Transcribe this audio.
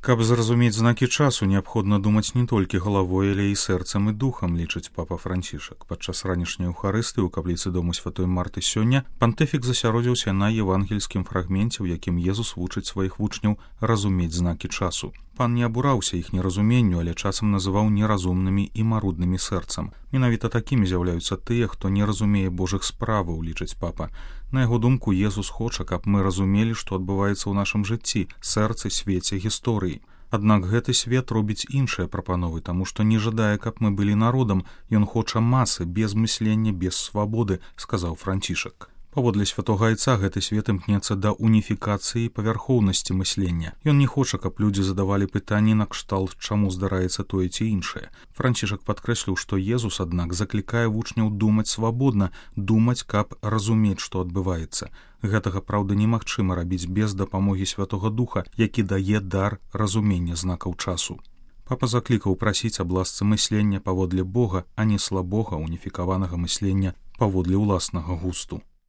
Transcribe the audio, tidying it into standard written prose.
Каб зразумець знакі часу, неабходна думаць не толькі галавой, але і сэрцам і духам, лічыць папа Францішак. Падчас ранішняй эўхарыстыі ў капліцы дому святой Марты сёння пантыфік засяродзіўся на евангельскім фрагменце, у якім Езус вучыць сваіх вучняў разумець знакі часу. Пан не абураўся іх неразуменню, але часам называў неразумнымі і маруднымі сэрцам. Менавіта такімі з'яўляюцца тыя, хто не разумее Божых справаў, лічыць папа. На яго думку, Езус хоча, каб мы разумелі, што адбываецца ў нашым жыцці, сэрцы, свеце, гісторыі. Аднак гэты свет робіць іншыя прапановы, таму што не жадае, каб мы былі народам, ён хоча масы, без мыслення, без свабоды, сказаў Францішак. Паводле святога айца гэты свет імкнецца да уніфікацыі і павярхоўнасці мыслення. Ён не хоча, каб людзі задавалі пытанні накшталт, чаму здараецца тое ці іншае. Францішак падкрэсліў, што Езус, аднак, заклікае вучняў думаць свабодна, думаць, каб разумець, што адбываецца. Гэтага, праўда, немагчыма рабіць без дапамогі Святога Духа, які дае дар разумення знакаў часу. Папа заклікаў прасіць аб ласцы мыслення паводле Бога, а не слабога, уніфікаванага мыслення паводле ўласнага густу.